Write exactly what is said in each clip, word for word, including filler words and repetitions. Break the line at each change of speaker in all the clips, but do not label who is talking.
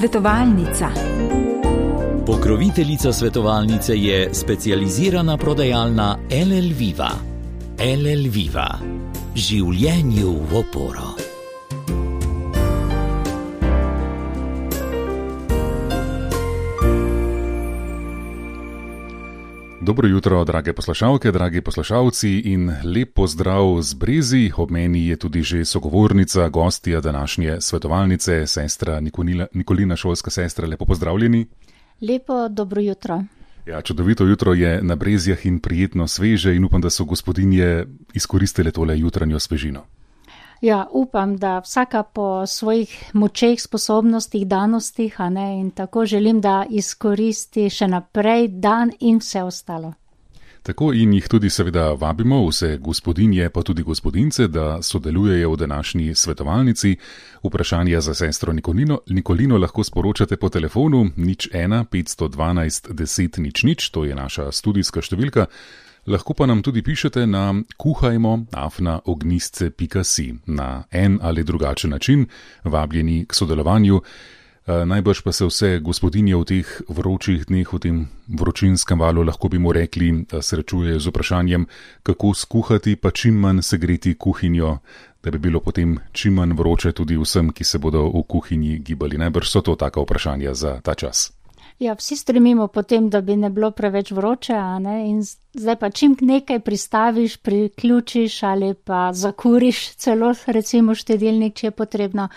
Svetovalnica.
Pokroviteljica svetovalnice je specializirana prodajalna L L Viva. L L Viva. Življenju v oporo.
Dobro jutro, drage poslušalke, dragi poslušalci in lep pozdrav z Brezi. Ob meni je tudi že sogovornica, gostja današnje svetovalnice, sestra Nikolina, Nikolina, šolska sestra. Lepo pozdravljeni.
Lepo dobro jutro.
Ja, čudovito jutro je na Brezjah in prijetno sveže in upam, da so gospodinje izkoristile tole jutranjo svežino.
Ja, upam, da vsaka po svojih močeh, sposobnostih, danostih, a ne, in tako želim, da izkoristi še naprej dan in vse ostalo.
Tako in jih tudi seveda vabimo, vse gospodinje pa tudi gospodince, da sodelujejo v današnji svetovalnici. Vprašanja za sestro Nikolino, Nikolino lahko sporočate po telefonu nič ena petsto dvanajst deset nič nič, to je naša studijska številka. Lahko pa nam tudi pišete na kuhajmo afna ognistce pika si na en ali drugačen način, vabljeni k sodelovanju. Najbrž pa se vse gospodinje v teh vročih dneh, v tem vročinskem valu, lahko bi mu rekli, srečujejo z vprašanjem, kako skuhati pa čim manj segreti kuhinjo, da bi bilo potem čim manj vroče tudi vsem, ki se bodo v kuhinji gibali. Najbrž so to taka vprašanja za ta čas.
Ja, vsi stremimo potem, da bi ne bilo preveč vroče, a ne, in zdaj pa čim nekaj pristaviš, priključiš ali pa zakuriš celo recimo štedilnik, če je potrebno.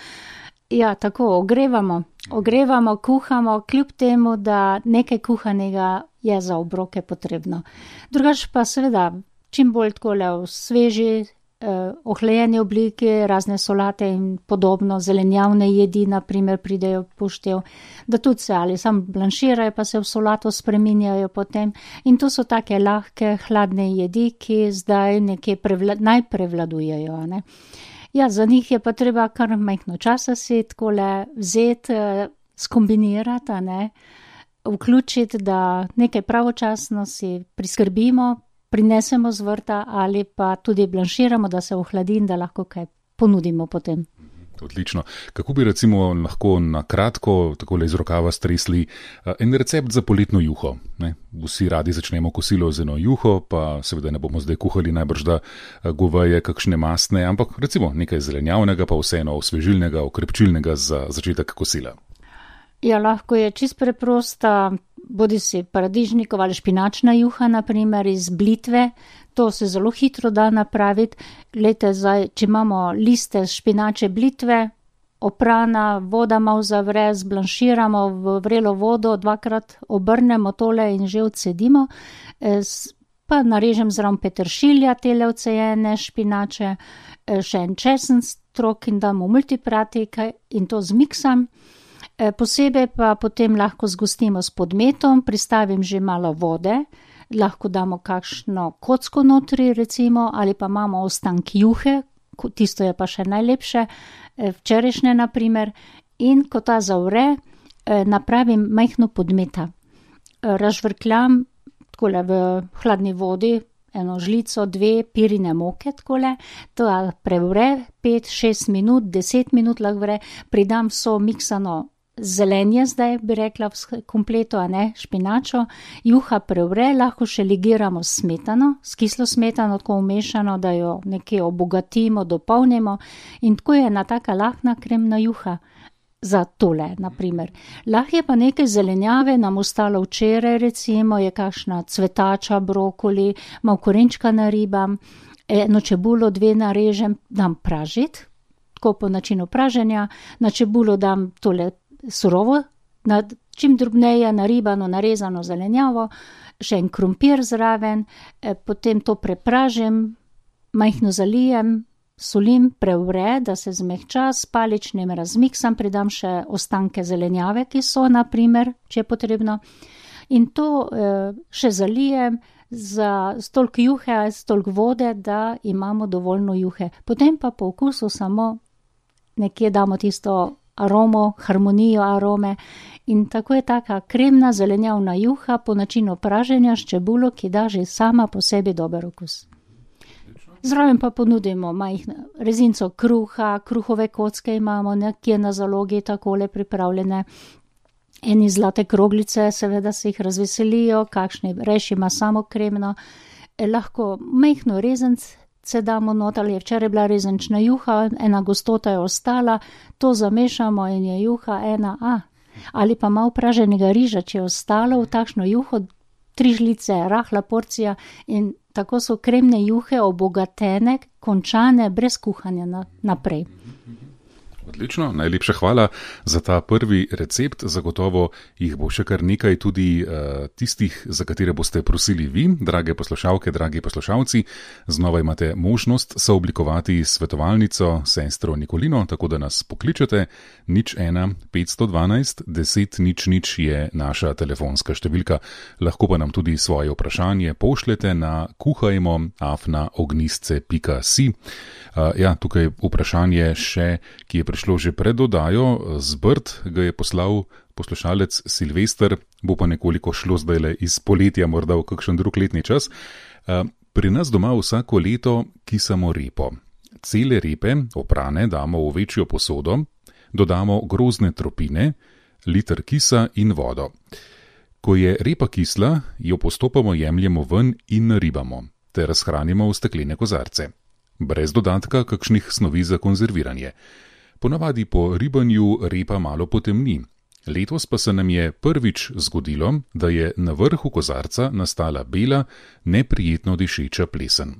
Ja, tako ogrevamo, ogrevamo, kuhamo, kljub temu, da nekaj kuhanega je za obroke potrebno. Drugače pa seveda, čim bolj takole v sveži, eh, ohlajeni obliki, razne solate in podobno, zelenjavne jedi, na primer, pridejo poštev, da tudi se ali sam blanširajo, pa se v solato spreminjajo potem. In to so take lahke, hladne jedi, ki zdaj nekje prevla- najprevladujejo, ne. Ja, za njih je pa treba kar majhno časa si takole vzeti, skombinirati, a ne, vključiti, da nekaj pravočasno si priskrbimo, prinesemo z vrta ali pa tudi blanširamo, da se ohladi in da lahko kaj ponudimo potem.
Odlično. Kako bi recimo lahko na kratko, takole iz rokava stresli, en recept za poletno juho? Ne? Vsi radi začnemo kosilo z eno juho, pa seveda ne bomo zdaj kuhali najbrž da goveje, kakšne mastne, ampak recimo nekaj zelenjavnega, pa vseeno osvežilnega, okrepčilnega za začetek kosila.
Ja, lahko je čist preprosta, bodi si paradižnikova ali špinačna juha, na primer iz blitve. To se zelo hitro da napraviti. Glejte, zdaj, če imamo liste špinače blitve, oprana, voda malo zavre, zblanširamo v vrelo vodo, dvakrat obrnemo tole in že odcedimo. Pa narežem zraven peteršilja, tele odcejene špinače, še en česen strok in dam v multipratik in to zmiksam. Posebej pa potem lahko zgostimo s podmetom, pristavim že malo vode, lahko damo kakšno kocko notri recimo, ali pa imamo ostank juhe, tisto je pa še najlepše, včerajšnje na primer, in ko ta zavre, napravim majhno podmeta. Razžvrkljam takole v hladni vodi, eno žlico, dve pirine moke takole, to prevre pet, šest minut, deset minut lahko vre, pridam vso miksano zelenje, zdaj bi rekla v kompletu, a ne, špinačo, juha prevre, lahko še ligiramo s smetano, s kislo smetano, tako umešano, da jo nekje obogatimo, dopolnimo in tako je ena taka lahna kremna juha za tole, na primer. Lahko je pa nekaj zelenjave, nam ostalo včeraj recimo, je kakšna cvetača, brokoli, malo korenčka naribam, eno čebulo, dve narežem, dam pražiti, tako po načinu praženja, na čebulo dam tole surovo, na, čim drobneje naribano, narezano zelenjavo, še en krompir zraven, eh, potem to prepražim, majhno zalijem, solim, prevre, da se zmehča, s paličnim razmiksam, pridam še ostanke zelenjave, ki so, na primer, če je potrebno, in to eh, še zalijem za stolk juhe, stolk vode, da imamo dovoljno juhe. Potem pa po okusu samo nekje damo tisto aromo, harmonijo arome in tako je taka kremna zelenjavna juha po načinu praženja s čebulo, ki da že sama po sebi dober okus. Zraven pa ponudimo majhno rezinco kruha, kruhove kocke imamo, nekje na zalogi takole pripravljene. Eni zlate kroglice, seveda se jih razveselijo, kakšni reš ima samo kremno. Eh, lahko majhno rezence damo not, ali je včeraj bila rezenčna juha, ena gostota je ostala, to zamešamo in je juha ena A. Ali pa malo praženega riža, če je ostalo v takšno juho, tri žlice, rahla porcija in tako so kremne juhe obogatene, končane, brez kuhanja na, naprej.
Odlično, najlepša hvala za ta prvi recept. Zagotovo jih bo še kar nekaj tudi uh, tistih, za katere boste prosili vi, drage poslušalke, dragi poslušalci. Znova imate možnost sooblikovati svetovalnico sestro Nikolino, tako da nas pokličete. nič ena petsto dvanajst deset nič nič je naša telefonska številka. Lahko pa nam tudi svoje vprašanje pošljete na kuhajmo afna ognistce pika si. Uh, ja, tukaj vprašanje še, ki je prišlo že pred oddajo, z Brd ga je poslal poslušalec Silvester, bo pa nekoliko šlo zdajle iz poletja, morda v kakšen drug letni čas. Pri nas doma vsako leto kisamo repo. Cele repe, oprane, damo v večjo posodo, dodamo grozne tropine, liter kisa in vodo. Ko je repa kisla, jo postopoma jemljemo ven in naribamo, ter shranimo v steklene kozarce. Brez dodatka kakšnih snovi za konzerviranje. Ponavadi po ribanju repa malo potemni. Letos pa se nam je prvič zgodilo, da je na vrhu kozarca nastala bela, neprijetno dišeča plesen.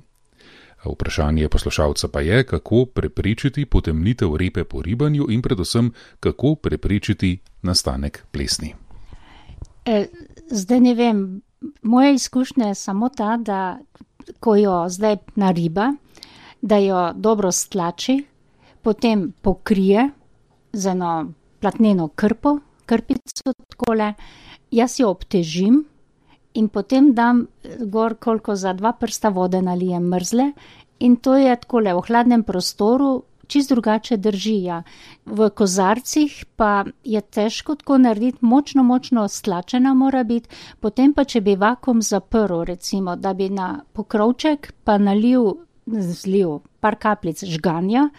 Vprašanje poslušalca pa je, kako preprečiti potemnitev repe po ribanju in predvsem, kako preprečiti nastanek plesni.
E, zdaj ne vem, moja izkušnja je samo ta, da ko jo zdaj nariba, da jo dobro stlači, potem pokrije z eno platneno krpo, krpico takole, jaz jo obtežim in potem dam gor koliko za dva prsta vode nalijem mrzle in to je takole v hladnem prostoru, čist drugače drži. Ja. V kozarcih pa je težko tako narediti, močno, močno stlačena mora biti, potem pa če bi vakuum zaprl, recimo, da bi na pokrovček pa nalil, zlil par kapljic žganja,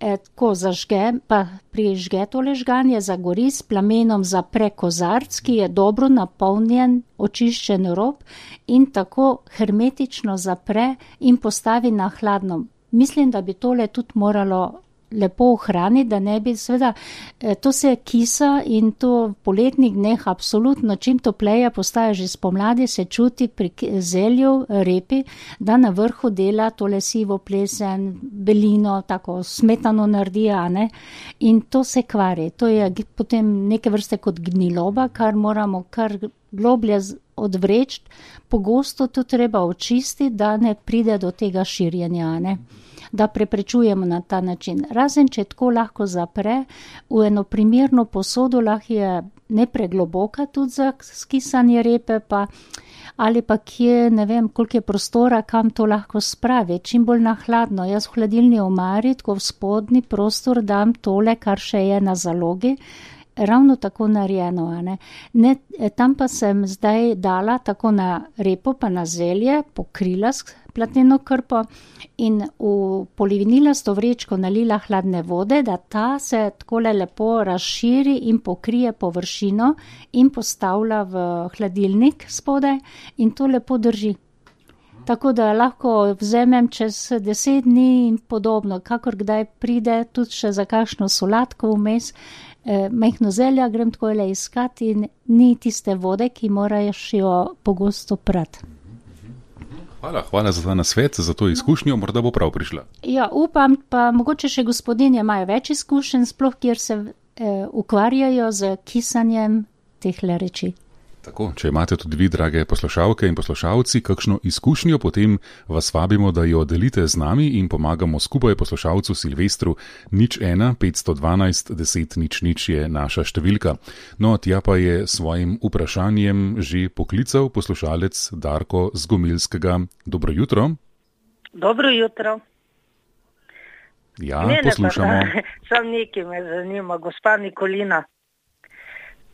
E, tako zažge, pa prižge tole žganje, zagori, s plamenom zapre kozarc, ki je dobro napolnjen, očiščen rob in tako hermetično zapre in postavi na hladno. Mislim, da bi tole tudi moralo lepo ohraniti, da ne bi, seveda, to se kisa in to v poletnih dneh absolutno, čim topleje postaje že spomladi, se čuti pri zelju, repi, da na vrhu dela tole sivo plesen, belino, tako smetano naredi, a ne, in to se kvari. To je potem neke vrste kot gniloba, kar moramo kar globlje odvreči, pogosto to treba očistiti, da ne pride do tega širjenja, a ne. Da preprečujemo na ta način. Razen, če tako lahko zapre, v eno primerno posodo lahko je nepregloboka tudi za skisanje repe, pa, ali pa kje, ne vem, koliko je prostora, kam to lahko spravi, čim bolj na hladno. Jaz v hladilni omari, tako v spodnji prostor dam tole, kar še je na zalogi, ravno tako narejeno. A ne? Ne, tam pa sem zdaj dala tako na repo, pa na zelje, pokrila s platneno krpo in v polivinilasto vrečko nalila hladne vode, da ta se takole lepo razširi in pokrije površino in postavlja v hladilnik spodaj in to lepo drži. Tako da lahko vzemem čez deset dni in podobno, kakor kdaj pride, tudi še za kakšno solatko vmes, eh, majhno zelja grem takole iskati in ni tiste vode, ki moraš jo pogosto prati.
Hvala, hvala za ta nasvet, za to izkušnjo, morda bo prav prišla.
Ja, upam, pa mogoče še gospodinje imajo več izkušenj, sploh kjer se eh, ukvarjajo z kisanjem tehle reči.
Tako, če imate tudi vi, drage poslušalke in poslušalci, kakšno izkušnjo, potem vas vabimo, da jo delite z nami in pomagamo skupaj poslušalcu Silvestru. nič ena petsto dvanajst deset nič nič je naša številka. No, tja pa je svojim vprašanjem že poklical poslušalec Darko z Gomilskega. Dobro jutro.
Dobro jutro.
Ja, Mene poslušamo.
Pa, sam nekaj me zanima, gospa Nikolina.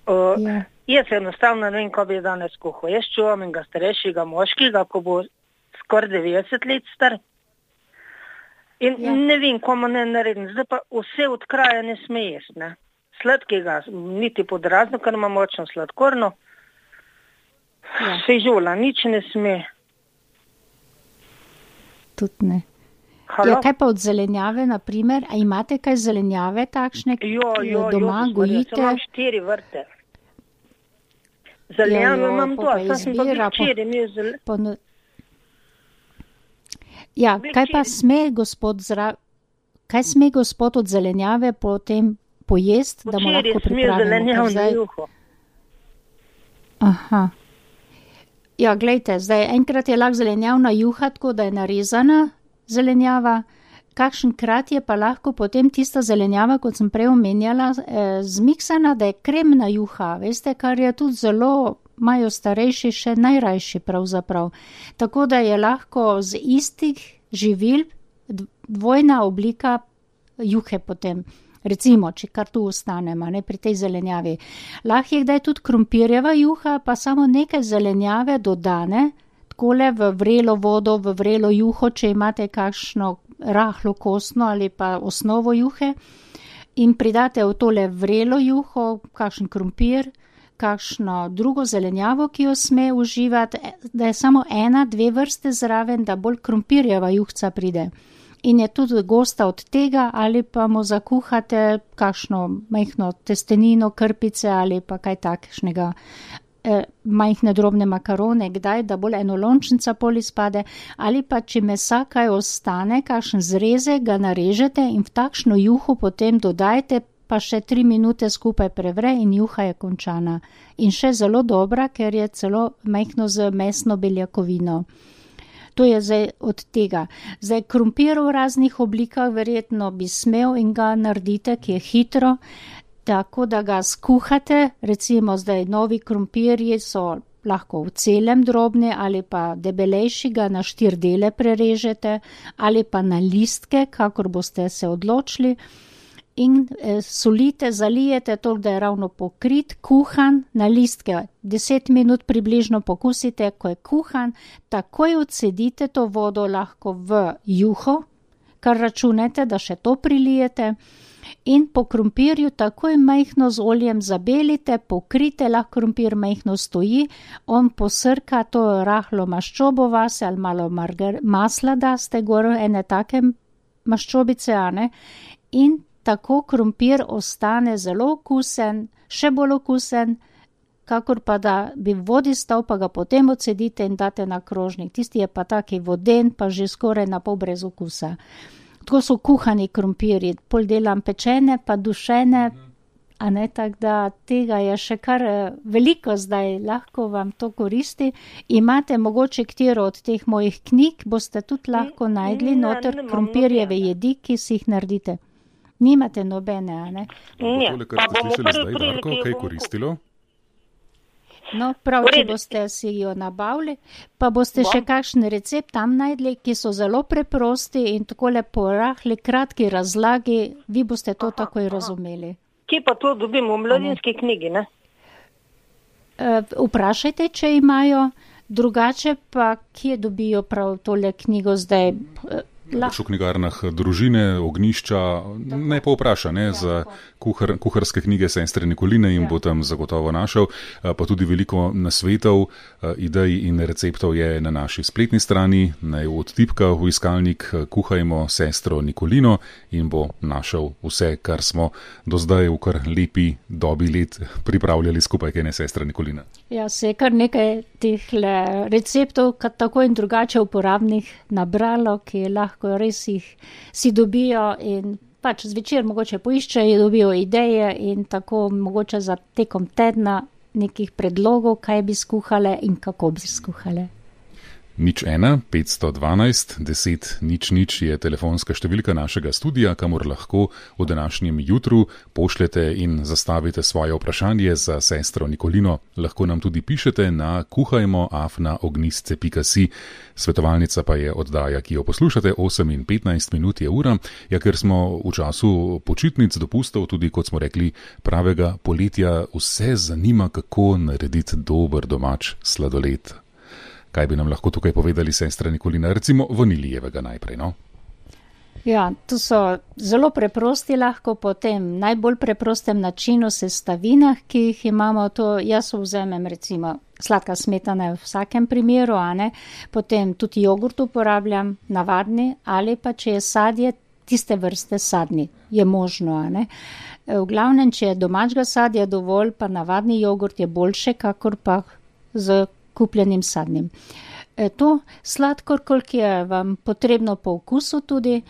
O, ja. Jaz enostavno ne vem, ko bi danes kuhal. Jaz čuvam enega starejšega moškega, ko bo skoraj devetdeset let star. In
Ja.
ne vem, komu ne naredim. Zdaj pa vse od kraja ne sme jesti, ne. Sladkega, niti pod razno, ker ima močno sladkorno.
Ja.
Fižola, nič ne sme.
Tudi ne.
Halo?
Ja, kaj pa od zelenjave, na primer? A imate kaj zelenjave takšne,
Jo,
ki
jo,
jo doma
jo,
gojite?
Imam štiri vrte. Zelenjave
Ja, jo,
imam
pol pa
to, sem pa
izbira, po-
včeraj imel zel...
Pono... Ja, kaj pa sme gospod zra... Kaj sme gospod od zelenjave potem pojesti, da mu
Včeraj
lahko
sem imel
pripravimo?
zelenjavno
Ker zdaj-
juho.
Aha. Ja, glejte, zdaj enkrat je lahko zelenjavna juha, tako da je narezana zelenjava. Kakšen krat je pa lahko potem tista zelenjava, kot sem prej omenjala, eh, zmiksana, da je kremna juha, veste, kar je tudi zelo, imajo starejši še najrajši pravzaprav. Tako da je lahko z istih živil d- dvojna oblika juhe potem. Recimo, če kar tu ostanemo, ne, pri tej zelenjavi. Lahko je kdaj tudi krompirjeva juha, pa samo nekaj zelenjave dodane, takole v vrelo vodo, v vrelo juho, če imate kakšno rahlo kostno ali pa osnovo juhe, in pridate v tole vrelo juho, kakšen krompir, kakšno drugo zelenjavo, ki jo sme uživati, da je samo ena, dve vrste zraven, da bolj krompirjeva juhca pride. In je tudi gosta od tega, ali pa mu zakuhate kakšno majhno testenino, krpice ali pa kaj takšnega, eh, majhne drobne makarone, kdaj, da bolj enolončnica pol izpade, ali pa če mesa kaj ostane, kakšen zrezek ga narežete in v takšno juho potem dodajte, pa še tri minute skupaj prevre in juha je končana. In še zelo dobra, ker je celo majhno z mesno beljakovino. To je zdaj od tega. Zdaj krompir v raznih oblikah verjetno bi smel in ga naredite, ki je hitro, tako da ga skuhate, recimo zdaj novi krompirji so lahko v celem drobni ali pa debelejši, ga na štiri dele prerežete ali pa na listke, kakor boste se odločili. In eh, solite, zalijete toliko, da je ravno pokrit, kuhan, na listke deset minut približno pokusite, ko je kuhan, takoj odcedite to vodo lahko v juho, kar računate, da še to prilijete, in po krompirju takoj majhno z oljem zabelite, pokrite, lahko krompir majhno stoji, on posrka to rahlo maščobo vase ali malo margar, masla daste gor, ene take maščobice, a ne, in tako krompir ostane zelo okusen, še bolj okusen, kakor pa da bi v vodi stal, pa ga potem odcedite in date na krožnik. Tisti je pa taki voden, pa že skoraj na pol brez okusa. Tako so kuhani krompirji, pol delam pečene, pa dušene, a ne, tako da tega je še kar veliko zdaj, lahko vam to koristi. Imate mogoče katero od teh mojih knjig, boste tudi lahko najdli noter krompirjeve jedi, ki si jih naredite. Nimate nobene, a ne?
Ne,
Tole,
pa
kar ste
bomo
slišali
prvi
zdaj,
priliki
Darko,
jo
kaj
bom
koristilo?
No, prav,
V
če
redu.
boste si jo nabavili, pa boste
Bom.
še kakšen recept tam najdli, ki so zelo preprosti in takole po rahli, kratki razlagi, vi boste to takoj razumeli.
Kje pa to dobimo? V mladinski knjigi, ne?
E, vprašajte, če imajo, drugače pa kje dobijo prav tole knjigo zdaj. E,
Pač v knjigarnah Družine, Ognišča, ne pa vpraša, ne, za kuhar, kuharske knjige sestre Nikoline in bo tam zagotovo našel, pa tudi veliko nasvetov, idej in receptov je na naši spletni strani, naj odtipka v iskalnik Kuhajmo sestro Nikolino in bo našel vse, kar smo do zdaj v kar lepi dobi let pripravljali skupaj, kaj ne sestra Nikolina.
Ja, se je kar nekaj teh receptov, tako in drugače uporabnih nabralo, ki lahko res jih si dobijo in pač zvečer mogoče poiščejo, dobijo ideje in tako mogoče za tekom tedna nekih predlogov, kaj bi skuhale in kako bi skuhale.
Nič ena, petsto dvanajst, deset, nič nič je telefonska številka našega studija, kamor lahko v današnjem jutru pošljete in zastavite svoje vprašanje za sestro Nikolino. Lahko nam tudi pišete na kuhajmo afna ognistce pika si. Svetovalnica pa je oddaja, ki jo poslušate, osem in petnajst minut je ura, ja, ker smo v času počitnic, dopustov, tudi kot smo rekli, pravega poletja, vse zanima, kako narediti dober domač sladoled. Kaj bi nam lahko tukaj povedali sestra Nikolina, recimo vanilijevega najprej, no?
Ja, to so zelo preprosti lahko po tem najbolj preprostem načinu sestavinah, ki jih imamo. To jaz vzamem recimo sladka smetana v vsakem primeru, a ne, potem tudi jogurt uporabljam, navadni, ali pa če je sadje, tiste vrste sadni, je možno, a ne. V glavnem, če je domačega sadja dovolj, pa navadni jogurt je boljše, kakor pa z kupljenim sadnim. E, to sladkor, koliko je vam potrebno po okusu tudi,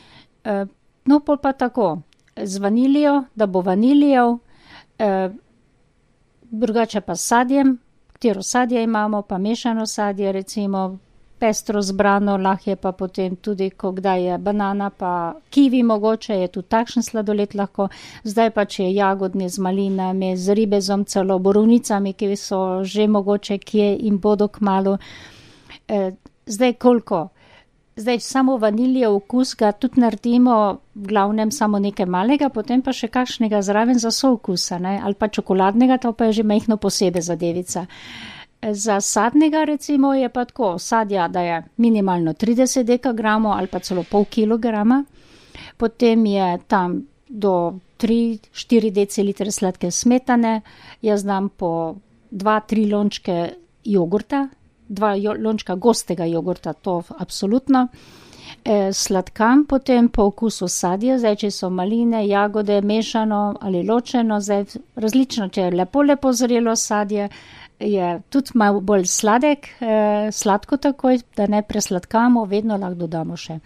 e, no pol pa tako, z vanilijo, da bo vanilijev, e, drugače pa s sadjem, katero sadje imamo, pa mešano sadje, recimo pestro zbrano, lahko je pa potem tudi, ko kdaj je banana, pa kivi mogoče, je tudi takšen sladoled lahko, zdaj pa če je jagodni z malinami, z ribezom, celo borovnicami, ki so že mogoče kje in bodo kmalu. E, zdaj koliko? Zdaj samo vaniljev okus ga tudi naredimo, v glavnem samo nekaj malega, potem pa še kakšnega zraven za soukusa, ne? Ali pa čokoladnega, to pa je že majhno posebej zadevica. Za sadnega recimo je pa tako, sadja, da je minimalno trideset dekagramov ali pa celo pol kilograma, potem je tam do tri do štiri decilitre sladke smetane, jaz dam po dva do tri lončke jogurta, dva lončka gostega jogurta, to absolutno. E, sladkam potem po okusu sadja, zdaj če so maline, jagode, mešano ali ločeno, zdaj različno, če je lepo, lepo zrelo sadje, je tudi malo bolj sladek, e, sladko takoj, da ne presladkamo, vedno lahko dodamo še.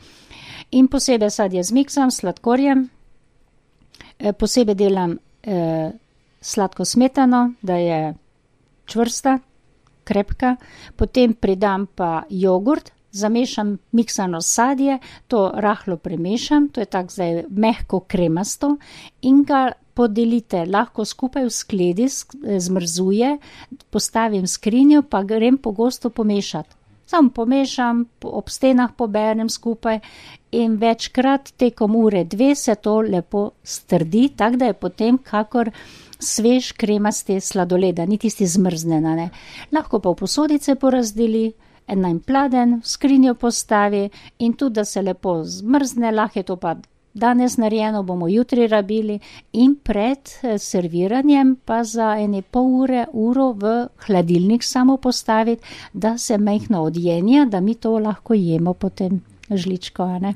In posebej sadje zmiksam s sladkorjem, e, posebej delam e, sladko smetano, da je čvrsta, krepka, potem pridam pa jogurt, zamešam miksano sadje, to rahlo premešam, to je tako zdaj mehko kremasto in ga podelite, lahko skupaj v skledi zmrzuje, postavim v skrinjo, pa grem pogosto pomešati. Sam pomešam, ob stenah poberem skupaj in večkrat tekom ure dve se to lepo strdi, tako da je potem kakor svež kremaste sladoleda, ni tisti zmrznjena, ne. Lahko pa v posodice porazdeli, en najn pladen, v skrinjo postavi in tudi, da se lepo zmrzne, lahko je to pa danes narejeno, bomo jutri rabili in pred serviranjem pa za ene pol ure, uro v hladilnik samo postaviti, da se majhno odjenja, da mi to lahko jemo potem žličko, a ne.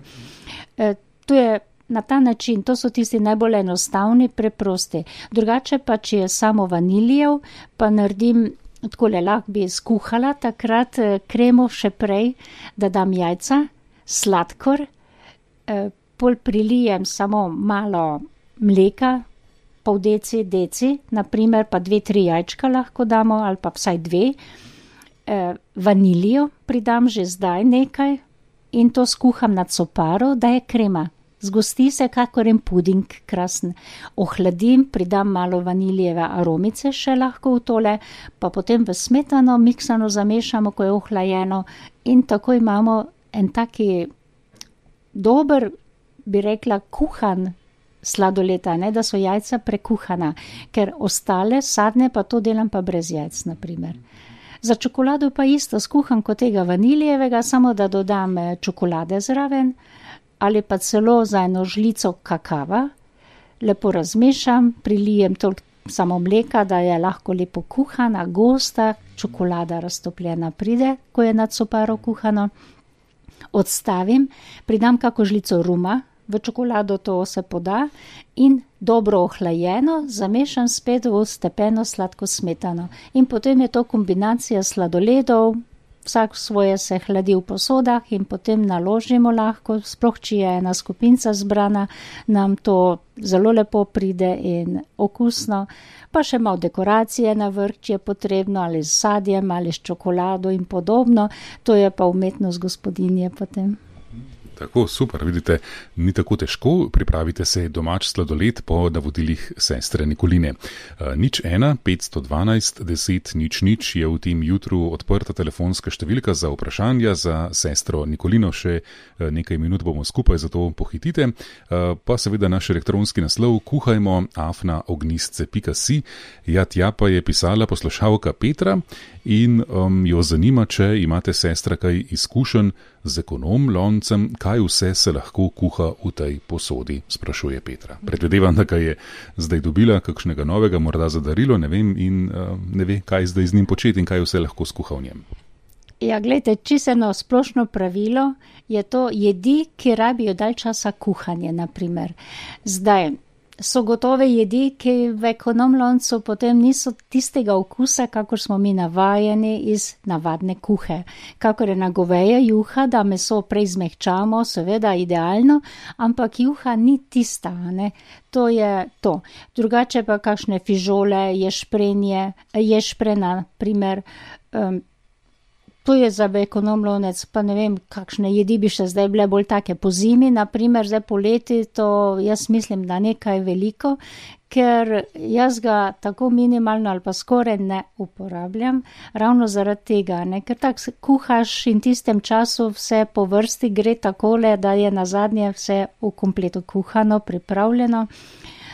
E, to je na ta način, to so tisti najbolj enostavni, preprosti. Drugače pa, če je samo vaniljev, pa naredim, takole lahko bi skuhala takrat kremo še prej, da dam jajca, sladkor, eh, pol prilijem samo malo mleka, pol deci, deci, naprimer pa dve, tri jajčka lahko damo, ali pa vsaj dve, eh, vanilijo pridam že zdaj nekaj in to skuham na coparo, da je krema. Zgosti se kakor en puding, krasen. Ohladim, pridam malo vanilijeve aromice še lahko v tole, pa potem v smetano miksano zamešamo, ko je ohlajeno in tako imamo en taki dober, bi rekla, kuhan sladoled, ne, da so jajca prekuhana, ker ostale sadne pa to delam pa brez jajc, naprimer. Za čokolado pa isto, skuham kot tega vanilijevega, samo da dodam čokolade zraven, ali pa celo za eno žlico kakava, lepo razmešam, prilijem toliko samo mleka, da je lahko lepo kuhana, gosta, čokolada raztopljena pride, ko je na coparo kuhano. Odstavim, pridam kako žlico ruma, v čokolado to se poda in dobro ohlajeno zamešam spet v stepeno sladko smetano. In potem je to kombinacija sladoledov, vsak svoje se hladi v posodah in potem naložimo lahko, sploh če je ena skupinca zbrana, nam to zelo lepo pride in okusno. Pa še malo dekoracije na vrh, če je potrebno, ali s sadjem, ali s čokolado in podobno. To je pa umetnost gospodinje potem.
Tako, super, vidite, ni tako težko, pripravite se domač sladoled po navodilih sestre Nikoline. Nič ena, petsto dvanajst, deset, nič nič je v tem jutru odprta telefonska številka za vprašanja za sestro Nikolino, še nekaj minut bomo skupaj, zato pohitite. Pa seveda naš elektronski naslov kuhajmo afna ognistce pika si. Ja, tja pa je pisala poslušalka Petra in um, jo zanima, če imate sestra kaj izkušenj z ekonom loncem, kaj vse se lahko kuha v tej posodi, sprašuje Petra. Predvidevam, da ga je zdaj dobila kakšnega novega, morda za darilo, ne vem, in uh, ne ve, kaj zdaj z njim početi in kaj vse lahko skuha v njem.
Ja, gledajte, čisto eno splošno pravilo je to jedi, ki rabijo dalj časa kuhanje, naprimer. Zdaj, so gotove jedi, ki v ekonomloncu potem niso tistega okusa, kakor smo mi navajeni iz navadne kuhe. Kakor je na goveje juha, da meso prej zmehčamo, seveda idealno, ampak juha ni tista, ne. To je to. Drugače pa kakšne fižole, ješprenje, ješprena, primer, um, to je za ekonomlonec, pa ne vem, kakšne jedi bi še zdaj bile bolj take po zimi, naprimer, zdaj poleti, to jaz mislim, da nekaj veliko, ker jaz ga tako minimalno ali pa skoraj ne uporabljam, ravno zaradi tega, ne, ker tako kuhaš in tistem času vse po vrsti gre takole, da je nazadnje vse v kompletu kuhano, pripravljeno,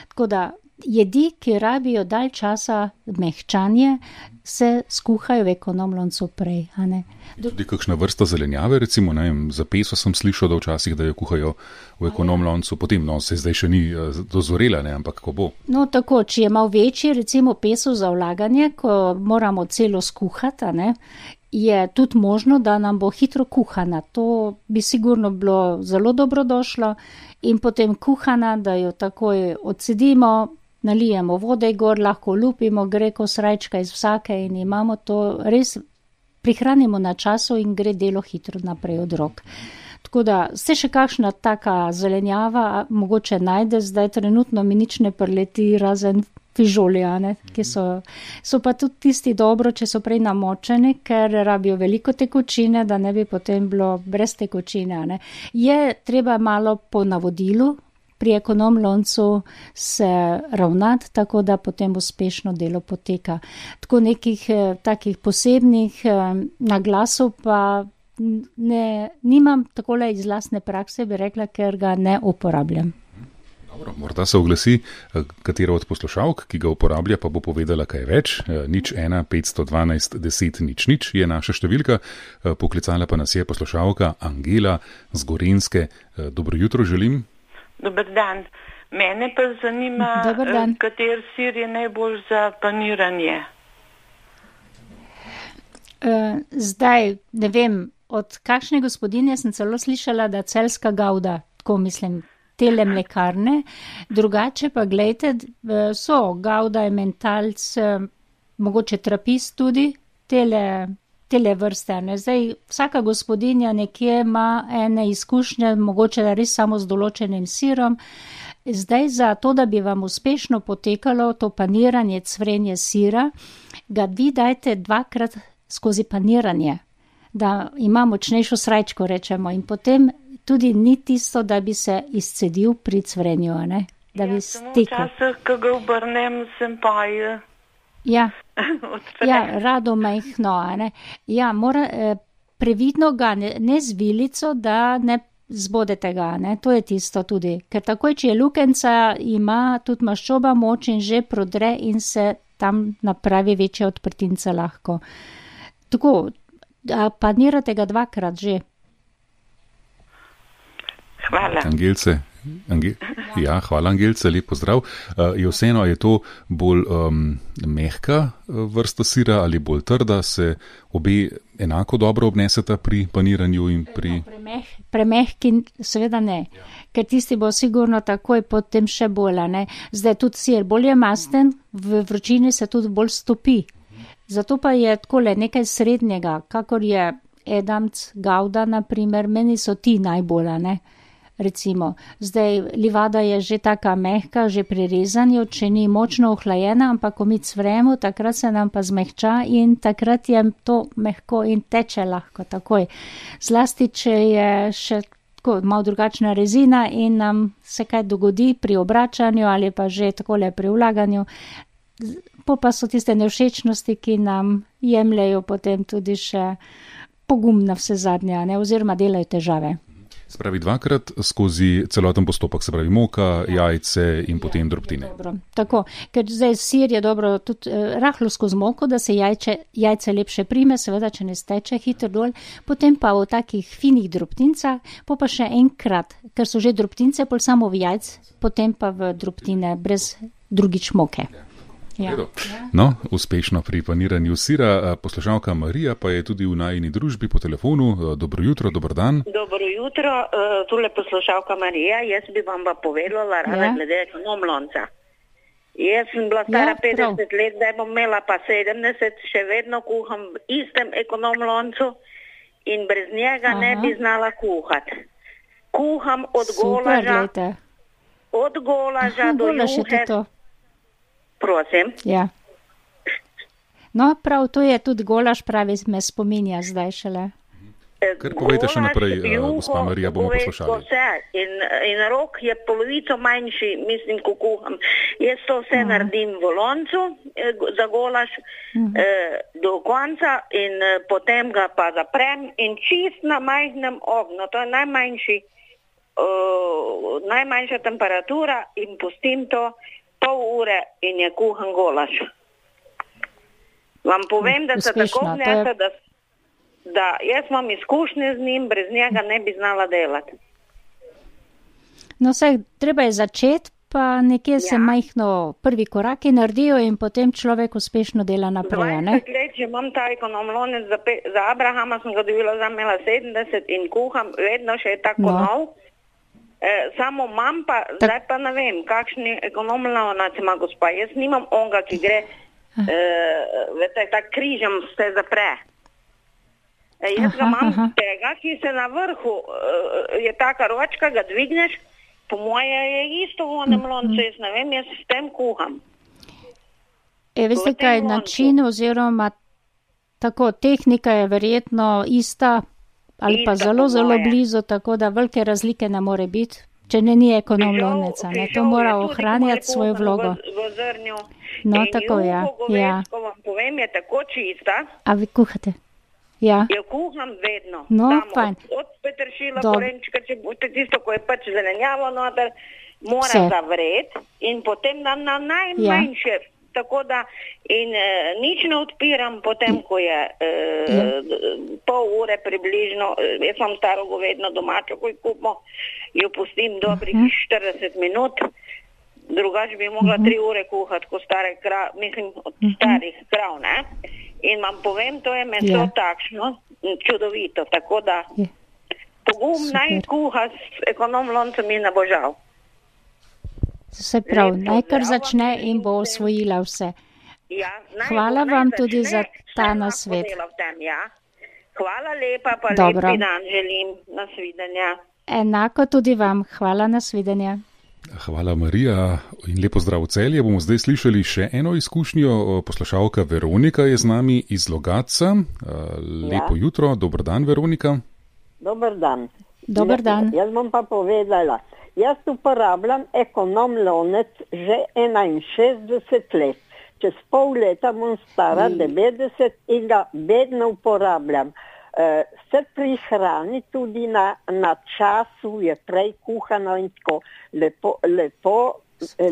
tako da jedi, ki rabijo dalj časa mehčanje, se skuhajo v ekonomloncu prej, a ne.
Tudi kakšna vrsta zelenjave, recimo, ne vem, za peso sem slišal, da včasih, da jo kuhajo v ekonomloncu, potem, no, se zdaj še ni dozorela, ne, ampak ko bo.
No, tako, če je malo večji, recimo peso za vlaganje, ko moramo celo skuhati, a ne, je tudi možno, da nam bo hitro kuhana. To bi sigurno bilo zelo dobro došlo in potem kuhana, da jo takoj odsedimo, nalijemo vode gor, lahko lupimo, gre ko srajčka iz vsake in imamo to, res prihranimo na času in gre delo hitro naprej od rok. Tako da se še kakšna taka zelenjava mogoče najde, zdaj trenutno mi nič ne preleti razen fižolja, ne, ki so, so pa tudi tisti dobro, če so prej namočeni, ker rabijo veliko tekočine, da ne bi potem bilo brez tekočine, ne. Je treba malo po navodilu pri ekonomloncu se ravnati, tako da potem uspešno delo poteka. Tako nekih eh, takih posebnih eh, naglasov pa ne, nimam takole iz lastne prakse, bi rekla, ker ga ne uporabljam.
Dobro, morda se oglasi katera od poslušalk, ki ga uporablja, pa bo povedala kaj več. Nič ena, petsto dvanajst, deset, nič, nič je naša številka. Poklicala pa nas je poslušalka Angela z Gorenjske. Dobro jutro želim.
Dober dan. Mene pa zanima, kater sir je najbolj za paniranje.
Zdaj, ne vem, od kakšne gospodinje sem celo slišala, da celjska gavda, tako mislim, tele mlekarne. Drugače pa gledajte, so gavda, mentalc, mogoče trapist tudi, tele tele vrste, ne. Zdaj, vsaka gospodinja nekje ima ene izkušnje, mogoče res samo z določenim sirom. Zdaj, za to, da bi vam uspešno potekalo to paniranje, cvrenje sira, ga vi dajte dvakrat skozi paniranje, da ima močnejšo srajčko, rečemo, in potem tudi ni tisto, da bi se izcedil pri cvrenju, ne, da bi stekel.
Ja, samo včasih, ko ga obrnem, sem pa je...
Ja, ja, rado majhno, a ne. Ja, mora, eh, previdno ga, ne, ne z vilico, da ne zbodete ga, ne, to je tisto tudi. Ker takoj, če je lukenca, ima tudi maščoba moč in že prodre in se tam napravi večja odprtinca lahko. Tako, panirate ga dvakrat že.
Hvala.
Angelce. Ange ja, hvala Angelce, lep pozdrav. Uh, je vseeno, je to bolj um, mehka vrsta sira ali bolj trda, se obe enako dobro obneseta pri paniranju in pri...
No, premeh, premehki seveda ne, ja. Ker tisti bo sigurno takoj potem še bolj, ne. Zdaj tudi sir bolj je masten, v vročini se tudi bolj stopi. Zato pa je takole nekaj srednjega, kakor je edamc, gavda, naprimer, meni so ti najbolj, ne. Recimo, zdaj livada je že taka mehka, že pri rezanju, če ni močno ohlajena, ampak ko mi cvremo, takrat se nam pa zmehča in takrat je to mehko in teče lahko takoj. Zlasti, če je še tako malo drugačna rezina in nam se kaj dogodi pri obračanju ali pa že takole pri vlaganju, po pa so tiste nevšečnosti, ki nam jemljajo potem tudi še pogum na vse zadnje, ne, oziroma delajo težave.
Se pravi dvakrat skozi celoten postopek, se pravi moka, ja. jajce in potem ja, drobtine.
Dobro. Tako, ker zdaj sir je dobro tudi eh, rahlo skozi moko, da se jajče, jajce lepše prime, seveda, če ne steče hitro dol, potem pa v takih finih drobtincah, po pa še enkrat, ker so že drobtince, pol samo v jajc, potem pa v drobtine brez drugič moke. Ja.
No, uspešno pri paniranju sira. Poslušalka Marija pa je tudi v najini družbi po telefonu. Dobro jutro, dober dan.
Dobro jutro, tule poslušalka Marija. Jaz bi vam pa povedala rada ja. glede ekonomlonca. Jaz sem bila stara ja, petdeset let, zdaj bom imela pa sedemdeset, še vedno kuham v istem ekonomloncu in brez njega Aha. ne bi znala kuhati. Kuham od
Super,
golaža,
lejte.
od golaža
Aha,
do
juhe.
Prosim.
Ja. No, prav, to je tudi golaž, pravi, me spominja zdaj šele.
Kar povejte še naprej, gospa Marija, bomo poslušali.
Vse. In, in rok je polovico manjši, mislim, ko kuham. Jaz to vse uh-huh. naredim v loncu za golaž uh-huh. eh, do konca in eh, potem ga pa zaprem in čist na majhnem ognju. To je najmanjši, uh, najmanjša temperatura in pustim to pol ure in je kuhan golaž. Vam povem, da se tako vnese, da, da jaz imam izkušnje z njim, brez njega ne bi znala delati.
No, saj, treba je začeti, pa nekje ja. se majhno prvi koraki naredijo in potem človek uspešno dela naprej, ne?
dvajset let, če imam ta ekonomlonec za, pe, za Abrahama, sem ga dobila za imela sedemdeset in kuham, vedno še je tako no. nov. E, samo mam pa, tak. zdaj pa ne vem, kakšni ekonomlonec ima gospa. Jaz nimam onga, ki gre, e, vete, tak križem se zapre. E, jaz aha, ga imam aha. tega, ki se na vrhu, e, je taka ročka, ga dvigneš, po moje je isto v onem loncu, jaz ne vem, jaz s tem kuham.
E, veste kaj, način oziroma tako, tehnika je verjetno ista, ali pa zelo, zelo blizu, tako da velike razlike ne more biti, če ne ni ekonomloneca. Ne, to mora ohranjati svojo vlogo.
V, v zrnju.
No, in tako, ja. ja.
Ko vam povem, je tako čista.
A vi kuhate? Ja.
Jo kuham vedno.
No,
Damo
fajn.
Od, od peteršila, korenčka, če boste tisto, ko je pač zelenjavo noter, mora Vse. zavreti in potem dam na najmanjše. Ja. Tako da in e, nič ne odpiram potem, ko je e, ja. pol ure približno, jaz imam staro govedno domačo, ko jo kupimo, jo pustim dobrih uh-huh. štirideset minut, drugače bi mogla uh-huh. tri ure kuhati, ko stare krav, mislim, od uh-huh. starih krav, ne? In vam povem, to je meso ja. takšno, čudovito, tako da ja. pogum naj kuha s ekonomloncem in ne bo žal.
Se pravi, naj kar začne in bo osvojila vse.
Ja,
Hvala
bo,
vam
začne,
tudi za ta nasvet.
Tem, ja. Hvala lepa, pa
Dobro.
lepi dan želim. Nasvidenja.
Enako tudi vam. Hvala, nasvidenja.
Hvala, Marija. In lepo zdrav v Celje. Bomo zdaj slišali še eno izkušnjo. Poslušalka Veronika je z nami iz Logatca. Lepo ja. jutro. Dober dan, Veronika.
Dober dan.
Dober dan.
Jaz, jaz bom pa povedala. Jaz uporabljam ekonomlonec že enainšestdeset let. Čez pol leta bom stara mm. devetdeset in ga vedno uporabljam. E, se prihrani tudi na, na času, je prej kuhano in tako. Lepo, lepo,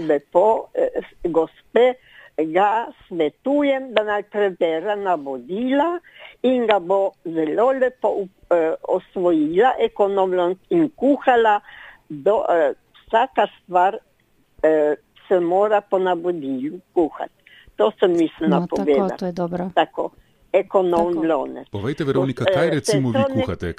lepo eh, gospe, ga svetujem, da naj prebere navodila in ga bo zelo lepo eh, osvojila ekonomlonec in kuhala. Do, uh, vsaka stvar uh, se mora po navodilju kuhati. To sem mislila
no,
povedati.
Tako, to je dobro.
Tako, ekonomlonec.
Povejte, Veronika, kaj recimo vi kuhate?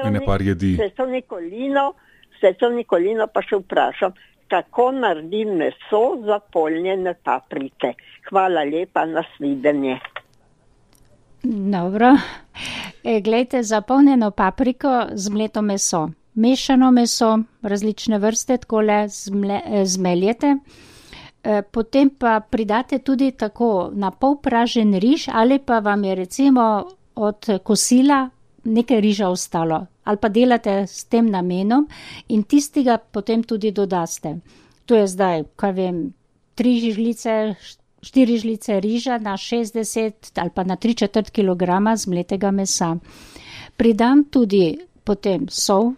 Ene par jedi.
Seco Nikolino, seco Nikolino pa še vprašam, kako naredim meso za polnjene paprike. Hvala lepa, nasvidenje.
Dobro. E, glejte, za polnjeno papriko zmleto meso. Mešano meso, različne vrste, takole zmle, zmeljete. E, potem pa pridate tudi tako na pol pražen riž ali pa vam je recimo od kosila nekaj riža ostalo. Ali pa delate s tem namenom in tistega potem tudi dodaste. To je zdaj, kaj vem, tri žlice, štiri žlice riža na šestdeset ali pa na tri četrt kilograma zmletega mesa. Pridam tudi potem sol,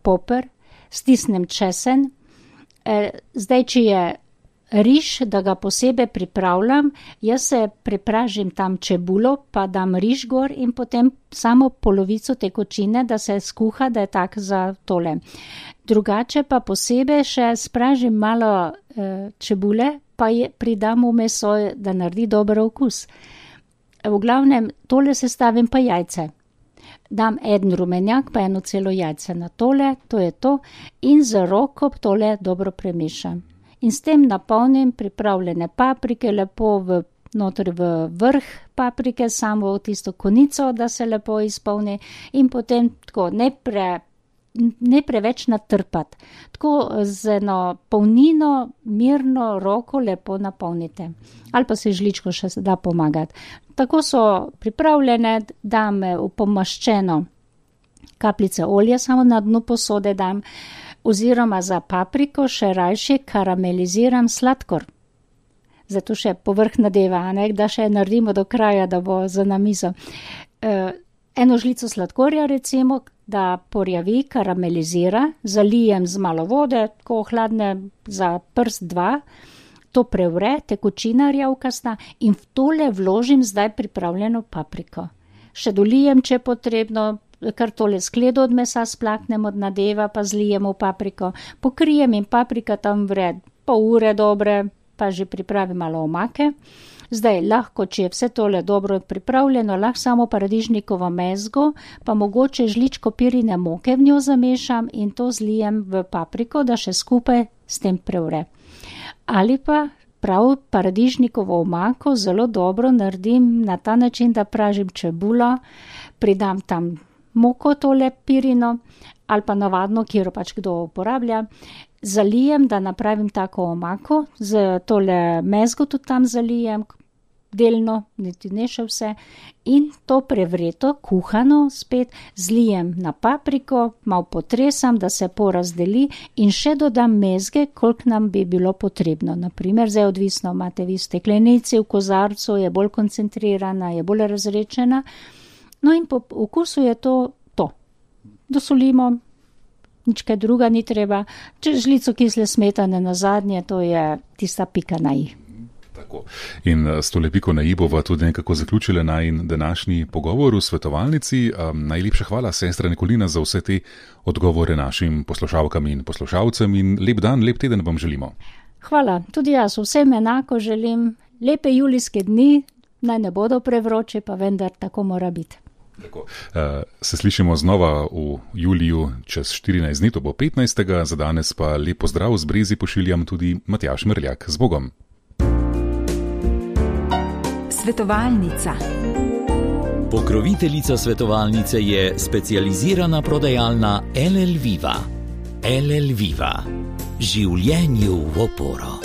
poper, stisnem česen. Zdaj, če je riž, da ga posebej pripravljam, jaz se pripražim tam čebulo, pa dam riž gor in potem samo polovico tekočine, da se skuha, da je tak za tole. Drugače pa posebej še spražim malo e, čebule, pa je, pridam v meso, da naredi dober okus. V glavnem, tole sestavim pa jajce. Dam en rumenjak, pa eno celo jajce na tole, to je to, in z roko tole dobro premešam. In s tem napolnim pripravljene paprike, lepo v, noter v vrh paprike, samo v tisto konico, da se lepo izpolni in potem tako ne, pre, ne preveč natrpati. Tako z eno polnino, mirno roko lepo napolnite. Ali pa se žličko še da pomagati. Tako so pripravljene, dam v pomaščeno kapljice olja, samo na dnu posode dam, oziroma za papriko še rajše karameliziram sladkor. Zato še povrh nadeva, ne, da še naredimo do kraja, da bo za na mizo. E, eno žlico sladkorja recimo, da porjavi, karamelizira, zalijem z malo vode, tako hladne za prst dva, to prevre, tekočina rjavkasta in v tole vložim zdaj pripravljeno papriko. Še dolijem, če je potrebno, kar tole skledo od mesa splaknem od nadeva, pa zlijem v papriko, pokrijem in paprika tam vre pol ure dobre, pa že pripravim malo omake. Zdaj lahko, če je vse tole dobro pripravljeno, lahko samo paradižnikovo mezgo, pa mogoče žličko pirine moke v njo zamešam in to zlijem v papriko, da še skupaj s tem prevre. Ali pa prav paradižnikovo omako zelo dobro naredim na ta način, da pražim čebulo, pridam tam moko tole pirino ali pa navadno, kjer pač kdo uporablja, zalijem, da napravim tako omako, z tole mezgo tudi tam zalijem, delno, niti ne še vse, in to prevreto, kuhano spet zlijem na papriko, malo potresam, da se porazdeli in še dodam mezge, koliko nam bi bilo potrebno. Naprimer, zdaj odvisno, imate vi v steklenici, v kozarcu, je bolj koncentrirana, je bolj razrečena. No in po okusu je to to. Dosolimo, nič kaj druga ni treba. Če žlico kisle smetane na zadnje, to je tista pika na i.
Tako. In s tole piko na i bova tudi nekako zaključila najin današnji pogovor v svetovalnici. Um, najlepša hvala, sestra Nikolina, za vse te odgovore našim poslušalkam in poslušalcem in lep dan, lep teden vam želimo.
Hvala, tudi jaz vsem enako želim. Lepe julijske dni, naj ne bodo prevroče, pa vendar tako mora biti.
Tako. Uh, se slišimo znova v juliju čez štirinajst dni, to bo petnajstega Za danes pa lep pozdrav z Brezi pošiljam tudi Matjaž Merljak. Z Bogom.
Svetovalnica. Pokroviteljica svetovalnice je specializirana prodajalna L L Viva. L L Viva. Življenju v oporo.